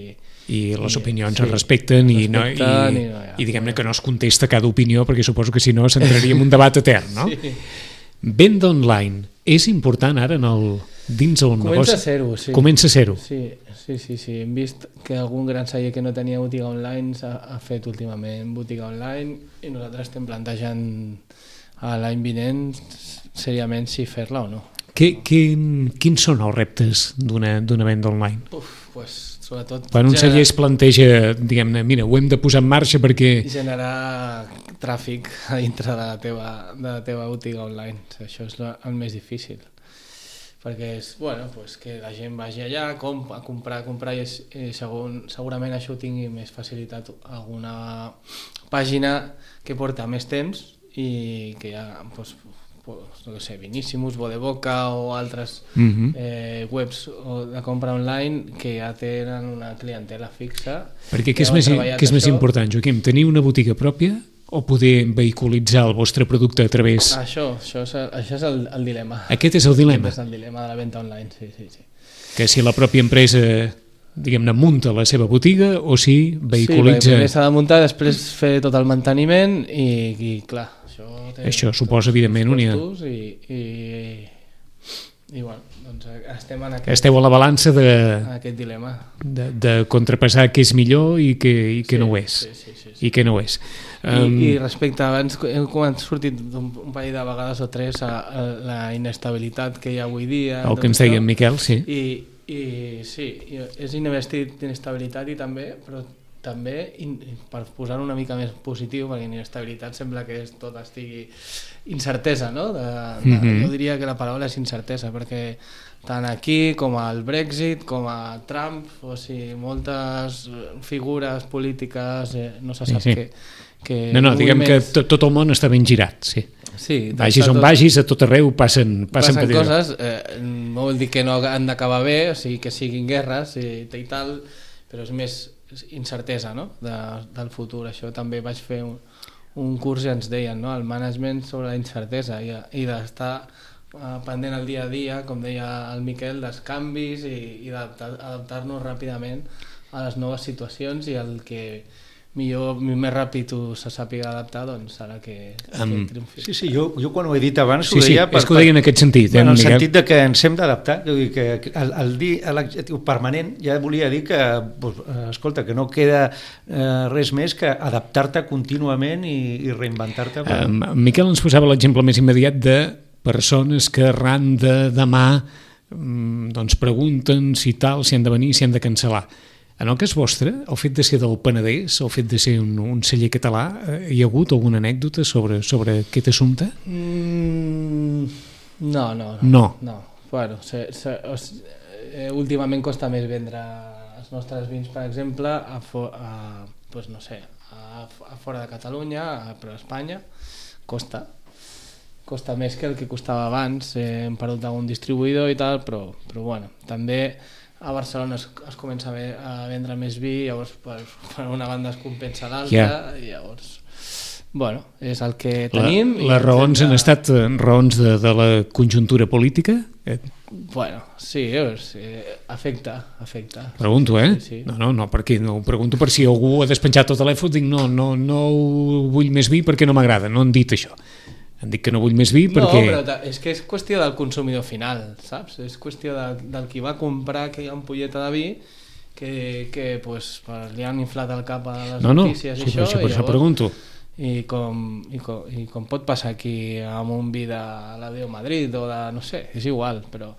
B: i les
E: I,
B: opinions
E: sí,
B: es respecten,
E: es
B: i, no,
E: respecten
B: i,
E: i, no, ja,
B: i diguem-ne que no es contesta cada opinió perquè suposo que si no s'entraria en un debat etern, no?
E: Sí.
B: Venda online és important ara en el, dins el
E: Comença
B: negoci?
E: Comença a ser-ho, sí.
B: Comença a ser-ho.
E: Sí, sí, sí, sí. Hem vist que algun gran celler que no tenia botiga online ha, ha fet últimament botiga online i nosaltres estem plantejant a l'any vinent seriament si fer-la o no.
B: Que, quin, quins són els reptes d'una venda online?
E: Uf, pues, sobretot...
B: Quan un
E: generar...
B: celler es planteja, diguem-ne, mira, ho hem de posar en marxa perquè...
E: Generar tràfic a dintre de la teva, de la teva botiga online. Això és el més difícil. perquè és, bueno, pues que la gent vagi allà com, a comprar, a comprar i, és, i segur, segurament això ho tingui més facilitat alguna pàgina que porta més temps i que ja, pues, pues, no sé, Viníssimus, Bodeboca o altres uh-huh. eh, webs de compra online que ja tenen una clientela fixa.
B: Perquè què és, més, què és més important, Joaquim? Tenir una botiga pròpia o poder vehiculitzar el vostre producte a través...
E: Això, això és, el, això és el, el dilema.
B: Aquest és el dilema?
E: Aquest és el dilema de la venda online, sí, sí, sí.
B: Que si la pròpia empresa, diguem-ne, munta la seva botiga o si vehiculitza...
E: Sí, primer s'ha de muntar, després fer tot el manteniment i, i clar, això... Té
B: això suposa, evidentment, un...
E: I, i, i bueno, doncs estem en aquest...
B: Esteu a la balança de...
E: aquest dilema.
B: De, de contrapassar què és millor i què, i què
E: sí,
B: no ho és.
E: Sí, sí, sí, sí.
B: I què no ho és.
E: Um... I, I respecte, abans hem sortit un, un parell de vegades o tres a, a la inestabilitat que hi ha avui dia...
B: El que ens deia en Miquel, sí.
E: I, i sí, és inestabilitat i també, però també, per posar una mica més positiu, perquè inestabilitat sembla que és, tot estigui incertesa, no? De, de, mm-hmm. Jo diria que la paraula és incertesa, perquè tant aquí com al Brexit, com a Trump, o sigui, moltes figures polítiques, eh, no se sap sí, sí. que... que
B: no, no, diguem més... que tot, tot el món està ben girat, sí.
E: Sí,
B: vagis on tot... vagis, a tot arreu passen, passen,
E: passen coses, eh, no vol dir que no han d'acabar bé, o sigui, que siguin guerres i, i tal, però és més incertesa, no? de, del futur. Això també vaig fer un, un curs i ens deien, no? El management sobre la incertesa i, i d'estar uh, pendent el dia a dia, com deia el Miquel, dels canvis i, i d'adaptar-nos ràpidament a les noves situacions i el que millor, més ràpid ho se sàpiga adaptar, doncs serà que,
D: um,
E: que triomfi.
D: Sí, sí, jo, jo quan ho he dit abans
B: sí,
D: ho deia...
B: Sí, per, és que ho deia en aquest sentit.
D: Eh, en el
B: Miquel?
D: sentit de que ens hem d'adaptar, que el, el dir l'adjectiu permanent ja volia dir que, pues, escolta, que no queda eh, res més que adaptar-te contínuament i, i reinventar-te. Per...
B: Um, Miquel ens posava l'exemple més immediat de persones que arran de demà um, doncs pregunten si tal, si han de venir, si han de cancel·lar. En el cas vostre, el fet de ser del Penedès, el fet de ser un, un celler català, eh, hi ha hagut alguna anècdota sobre, sobre aquest assumpte?
E: Mm, no, no. No.
B: no.
E: no. Bueno, se, se, o, eh, últimament costa més vendre els nostres vins, per exemple, a, for, a, pues no sé, a, a fora de Catalunya, a, però a Espanya, costa. Costa més que el que costava abans, eh, hem perdut algun distribuïdor i tal, però, però bueno, també... A Barcelona es, es comença a vendre més vi, llavors per, per una banda es compensa l'altra, yeah. I llavors, bueno, és el que tenim.
B: La, les raons han estat raons de, de la conjuntura política?
E: Bueno, sí, és, eh, afecta, afecta.
B: Pregunto, eh?
E: Sí, sí.
B: No, no, no, perquè no, pregunto per si algú ha despenjat el telèfon, dic no, no, no vull més vi perquè no m'agrada, no han dit això. Han dit que no vull més vi perquè...
E: No, però és que és qüestió del consumidor final, saps? És qüestió de, del qui va comprar aquella ampolleta de vi que, que pues, li han inflat el cap a les
B: no, no,
E: notícies
B: sí,
E: i això.
B: això, per
E: i
B: això pregunto.
E: I com, i, com, I com pot passar aquí amb un vi de l'Adeo Madrid o de... no sé, és igual, però,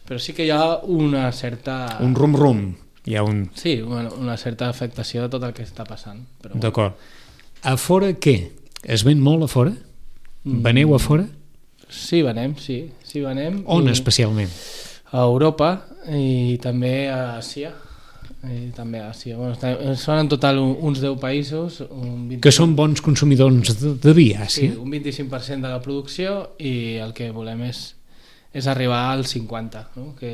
E: però sí que hi ha una certa...
B: Un rum-rum. Hi ha un...
E: Sí, bueno, una certa afectació de tot el que està passant. Bueno.
B: D'acord. A fora què? Es ven molt a fora? Veneu a fora?
E: Sí, venem, sí. sí venem.
B: On
E: I
B: especialment?
E: A Europa i també a Àsia. I també a Àsia. Bueno, són en total uns deu països. Un vint...
B: Que són bons consumidors de, de vi, Àsia?
E: Sí, un vint-i-cinc per cent de la producció i el que volem és, és arribar al cinquanta per cent, no? Que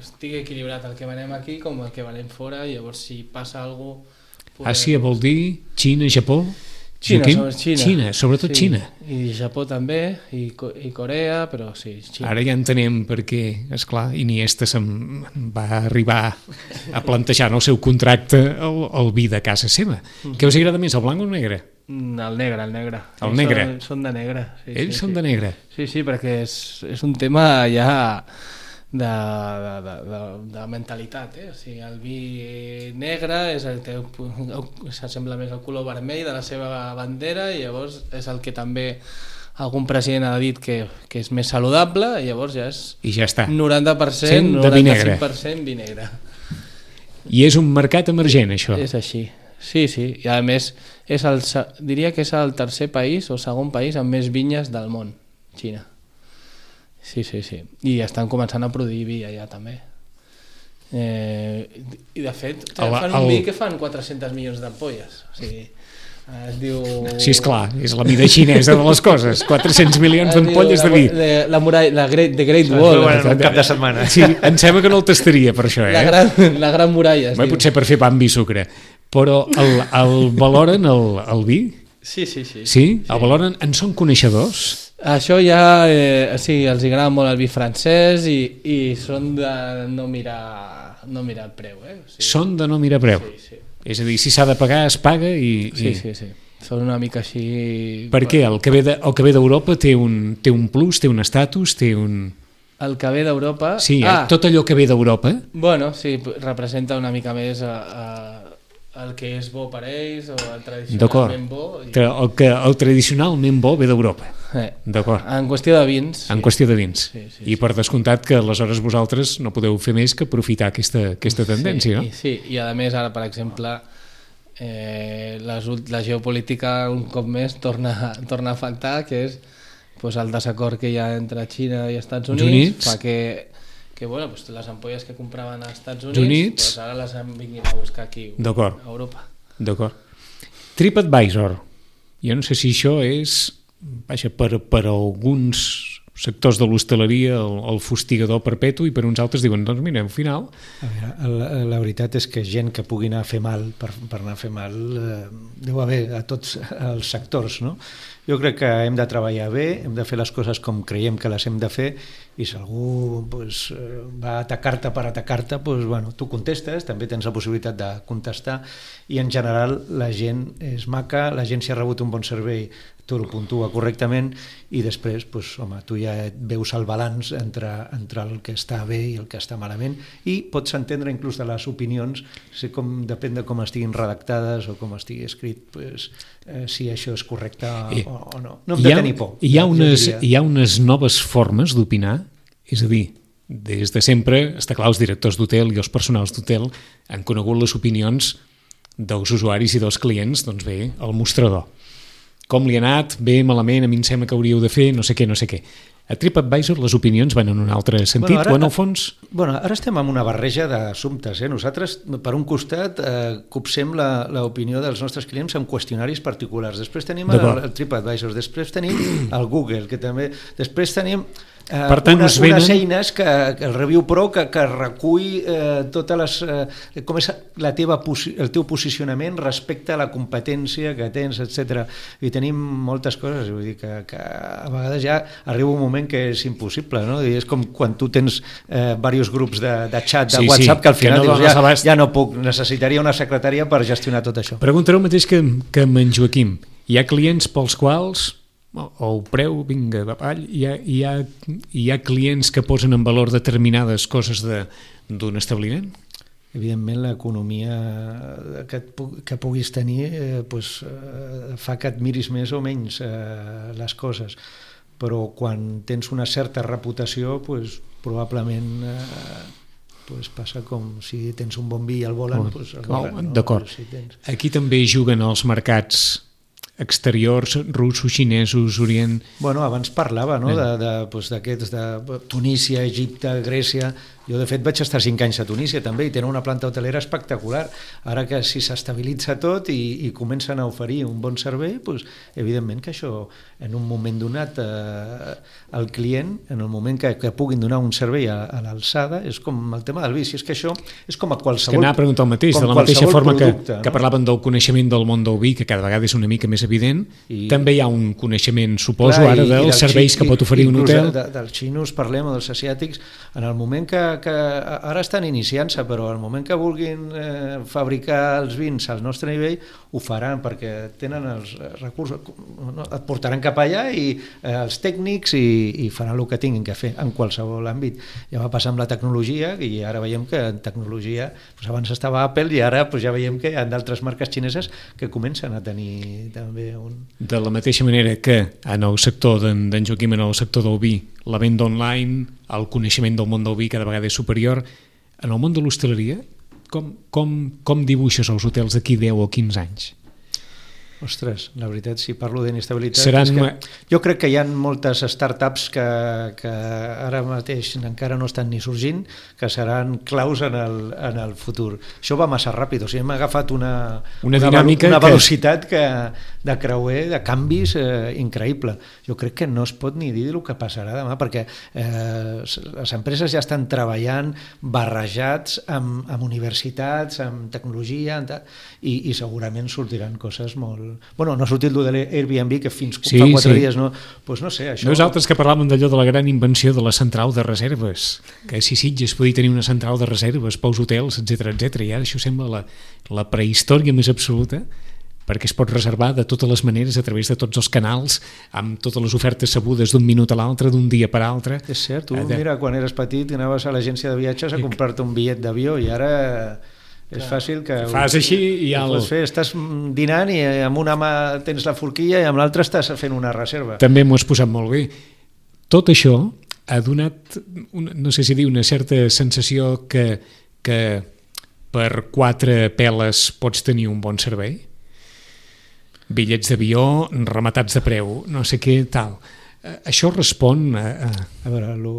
E: estigui equilibrat el que venem aquí com el que venem fora, i llavors si passa alguna cosa...
B: Poder... Àsia vol dir Xina, Japó?
E: Xina, sobre Xina.
B: Xina, sobretot sí. Xina.
E: I Japó també, i, i Corea, però sí, Xina.
B: Ara ja entenem perquè, esclar, Iniesta se'n va arribar a plantejar en el seu contracte el, el vi de casa seva. Mm. Què us agrada més, el blanc o el negre?
E: El negre, el negre.
B: El
E: Ells
B: negre?
E: Són, són de negre. Sí,
B: Ells
E: sí,
B: són
E: sí.
B: de negre?
E: Sí, sí, perquè és, és un tema ja... De, de, de, de, de mentalitat, eh? O sigui, el vi negre és el que s'assembla més al color vermell de la seva bandera, i llavors és el que també algun president ha dit que, que és més saludable, i llavors ja és
B: I ja està.
E: noranta per cent, noranta-cinc per cent vi negre.
B: I és un mercat emergent, això?
E: És així, sí, sí, i a més és el, diria que és el tercer país o segon país amb més vinyes del món, Xina. Sí, sí, sí. I estan començant a produir vi allà també. Eh, I de fet, el, fan un el... vi que fan quatre-cents milions d'ampolles. O sigui, es diu...
B: Sí, esclar, és la mida xinesa de les coses. quatre-cents milions d'ampolles de vi.
E: De, la muralla, la Great, the Great Wall.
D: Bueno, un cap de setmana.
B: Sí, em sembla que no el tastaria per això, eh?
E: La gran, la gran muralla, es
B: Bé,
E: diu.
B: potser per fer pa amb vi sucre. Però el, el valoren, el, el vi?
E: Sí, sí, sí.
B: Sí? El valoren? En són coneixedors?
E: Això ja, eh, sí, els agrada molt el vi francès i, i són de no mirar, no mirar el preu. Eh? O sigui,
B: són de no mirar preu.
E: Sí, sí.
B: És a dir, si s'ha de pagar, es paga i...
E: Sí,
B: i...
E: sí, sí. Són una mica així...
B: Per què? El que ve de, el que ve d'Europa té, un, té un plus, té un estatus, té un...
E: El que ve d'Europa...
B: Sí,
E: ah,
B: tot allò que ve d'Europa...
E: Bueno, sí, representa una mica més a, a, el que és bo per ells o el tradicionalment bo. I...
B: El que el tradicionalment bo ve d'Europa.
E: Eh,
B: D'acord.
E: En qüestió de vins.
B: En
E: sí.
B: qüestió de vins.
E: Sí, sí,
B: I per descomptat que aleshores vosaltres no podeu fer més que aprofitar aquesta, aquesta tendència,
E: sí,
B: no?
E: Sí, i a més ara, per exemple, eh, les, la geopolítica un cop més torna, torna a faltar, que és pues, el desacord que hi ha entre Xina i Estats Units,
B: Units.
E: perquè que bueno, pues, les ampolles que compraven als Estats Units,
B: Units.
E: pues, ara les han vingut a buscar aquí a Europa.
B: D'acord. TripAdvisor. Jo no sé si això és, vaja, per, per alguns sectors de l'hostaleria el, el fustigador perpetu i per uns altres diuen, doncs mira, al final...
D: A veure, la, la veritat és que gent que pugui anar a fer mal, per, per anar a fer mal, eh, deu haver a tots els sectors, no? Jo crec que hem de treballar bé, hem de fer les coses com creiem que les hem de fer i si algú pues, va a atacar-te per atacar-te, pues, bueno, tu contestes, també tens la possibilitat de contestar i en general la gent és maca, la gent si ha rebut un bon servei tu el puntua correctament i després pues, home, tu ja veus el balanç entre, entre el que està bé i el que està malament i pots entendre inclús de les opinions si com, depèn de com estiguin redactades o com estigui escrit pues, eh, si això és correcte
B: I,
D: o, o no. No hem de
B: ha,
D: tenir por.
B: Hi ha, unes, hi ha unes noves formes d'opinar, és a dir, des de sempre, està clar, els directors d'hotel i els personals d'hotel han conegut les opinions dels usuaris i dels clients, doncs bé, al mostrador. Com li ha anat, bé, malament, a mi em sembla que hauríeu de fer, no sé què, no sé què. A TripAdvisor les opinions van en un altre sentit, bueno, ara, o en el fons...
D: Bueno, ara estem en una barreja d'assumptes. Eh? Nosaltres, per un costat, eh, copsem l'opinió dels nostres clients amb qüestionaris particulars. Després tenim el, el TripAdvisor, després tenim el Google, que també... Després tenim... Eh,
B: per tant,
D: unes,
B: venen...
D: unes eines que, que el Review Pro que, que recull eh, totes les eh, com és la teva el teu posicionament respecte a la competència que tens, etcètera. I tenim moltes coses, vull dir que, que a vegades ja arriba un moment que és impossible, no? I és com quan tu tens eh, diversos grups de, de xat de
B: sí,
D: WhatsApp
B: sí,
D: que al final
B: que no
D: dius, ja,
B: abast...
D: ja no puc, necessitaria una secretària per gestionar tot això.
B: Preguntaré el mateix que, que amb en Joaquim. Hi ha clients pels quals o el preu, vinga, avall, hi ha, hi, ha, hi ha clients que posen en valor determinades coses d'un establiment?
D: Evidentment, l'economia que, que puguis tenir eh, pues, eh, fa que et miris més o menys eh, les coses, però quan tens una certa reputació, pues, probablement eh, pues, passa com si tens un bon vi i el volen, oh, pues, el volen, no?
B: D'acord.
D: Si tens...
B: Aquí també juguen els mercats exteriors, russos, xinesos, orient...
D: Bueno, abans parlava, no?, d'aquests, de, de, de Tunísia, Egipte, Grècia... Jo, de fet, vaig estar cinc anys a Tunísia també i tenen una planta hotelera espectacular. Ara que si s'estabilitza tot i, i comencen a oferir un bon servei, doncs, evidentment que això, en un moment donat, eh, el client, en el moment que, que puguin donar un servei a, a l'alçada, és com el tema del vi. Si és que això és com a qualsevol...
B: És que anava a preguntar el mateix, de la mateixa forma producte, que, que parlaven del coneixement del món del vi, que cada vegada és una mica més evident, I, també hi ha un coneixement, suposo, clar, ara dels serveis que pot oferir un hotel.
D: De, dels xinos parlem, o dels asiàtics, en el moment que que ara estan iniciant-se, però al moment que vulguin eh, fabricar els vins al nostre nivell, ho faran perquè tenen els recursos, no? Et portaran cap allà i eh, els tècnics i, i faran el que tinguin que fer en qualsevol àmbit. Ja va passar amb la tecnologia i ara veiem que en tecnologia, doncs abans estava Apple i ara doncs ja veiem que hi ha d'altres marques xineses que comencen a tenir també un...
B: De la mateixa manera que en el sector d'en Joaquim, en el sector del vi, la venda online, el coneixement del món del vi cada vegada és superior. En el món de l'hostaleria, com, com, com dibuixes els hotels d'aquí deu o quinze anys?
D: Ostres, la veritat, si parlo d'inestabilitat...
B: Seran...
D: Que jo crec que hi ha moltes startups que, que ara mateix encara no estan ni sorgint, que seran claus en el, en el futur. Això va massa ràpid, o sigui, hem agafat una,
B: una,
D: una,
B: dinàmica
D: una velocitat
B: que...
D: que, de creuer, de canvis eh, increïble. Jo crec que no es pot ni dir el que passarà demà, perquè eh, les empreses ja estan treballant barrejats amb, amb universitats, amb tecnologia, amb i, i segurament sortiran coses molt... Bueno, no ha sortit el de l'Airbnb, que fins
B: sí,
D: fa quatre
B: sí.
D: dies no... Pues no sé, això...
B: Nosaltres que parlàvem d'allò de la gran invenció de la central de reserves, que si Sitges podia tenir una central de reserves pels hotels, etcètera, etcètera, i ara això sembla la, la prehistòria més absoluta, perquè es pot reservar de totes les maneres a través de tots els canals, amb totes les ofertes sabudes d'un minut a l'altre, d'un dia per altre.
D: És cert, tu
B: de...
D: mira, quan eres petit anaves a l'agència de viatges a comprar-te un bitllet d'avió i ara... És clar. Fàcil que...
B: Fas així i ja...
D: El... Fer, estàs dinant i amb una mà tens la forquilla i amb l'altra estàs fent una reserva.
B: També m'ho has posat molt bé. Tot això ha donat, una, no sé si dir, una certa sensació que, que per quatre peles pots tenir un bon servei. Bitllets d'avió rematats de preu, no sé què, tal... Això respon a...
D: A veure, lo,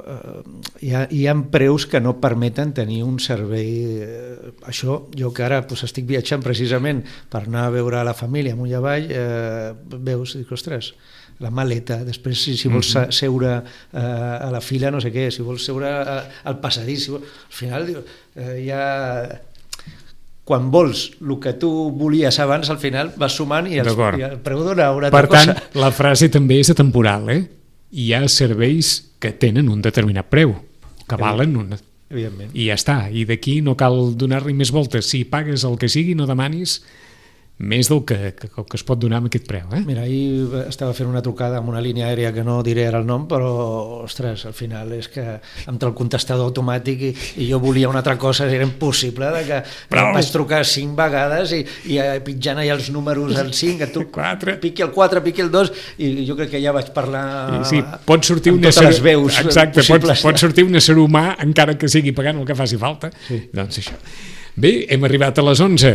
D: uh, hi, ha, hi ha preus que no permeten tenir un servei... Uh, això, jo que ara pues, estic viatjant precisament per anar a veure la família amunt i avall, uh, veus, dic, ostres, la maleta, després si, si vols mm-hmm. seure uh, a la fila, no sé què, si vols seure uh, al passadís, si vols, al final uh, hi ha... Quan vols el que tu volies abans, al final vas sumant i el, i el preu dona una altra cosa.
B: Per tant, la frase també és atemporal, eh? Hi ha serveis que tenen un determinat preu, que valen una...
D: Evidentment.
B: I ja està, i d'aquí no cal donar-li més voltes. Si pagues el que sigui, no demanis més del que, que, que es pot donar amb aquest preu. Eh?
D: Mira, ahir estava fent una trucada amb una línia aèria que no diré ara el nom, però, ostres, al final és que entra el contestador automàtic i, i jo volia una altra cosa, era impossible, de que però... vaig trucar cinc vegades i, i pitjant allà els números al cinc, que tu piqui el quatre, piqui el dos, i jo crec que ja vaig parlar
B: sí, pot sortir
D: amb
B: una
D: totes
B: ser...
D: les veus
B: Exacte,
D: possibles.
B: Pot, pot sortir un ésser humà, encara que sigui pagant el que faci falta.
D: Sí.
B: Doncs això. Bé, hem arribat a les onze.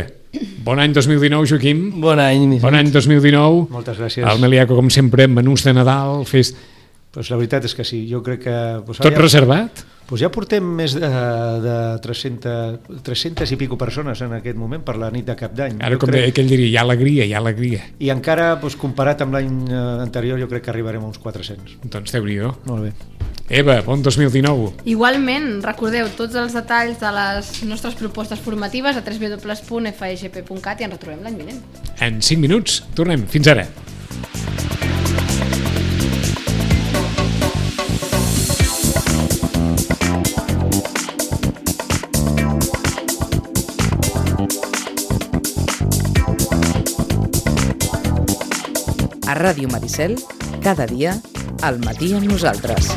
B: Bon any dos mil dinou, Joaquim.
E: Bon any.
B: Bon any dos mil dinou.
D: Moltes gràcies.
B: El Meliaco, com sempre, menús de Nadal, fes...
D: Pues la veritat és que sí, jo crec que... Pues
B: Tot
D: ja,
B: reservat?
D: Pues ja portem més de, de tres-centes i pico persones en aquest moment per la nit de Cap d'Any.
B: Ara,
D: jo
B: com crec... deia, ell diria, hi ha alegria, hi ha alegria.
D: I encara, pues, comparat amb l'any anterior, jo crec que arribarem a uns quatre-cents.
B: Doncs Déu-n'hi-do.
D: Molt bé.
B: Eva, bon dos mil dinou.
C: Igualment, recordeu tots els detalls de les nostres propostes formatives a w w w punt f e g p punt cat i ens retrobem l'any vinent.
B: En cinc minuts, tornem. Fins ara.
A: A Ràdio Maricel, cada dia, al matí amb nosaltres.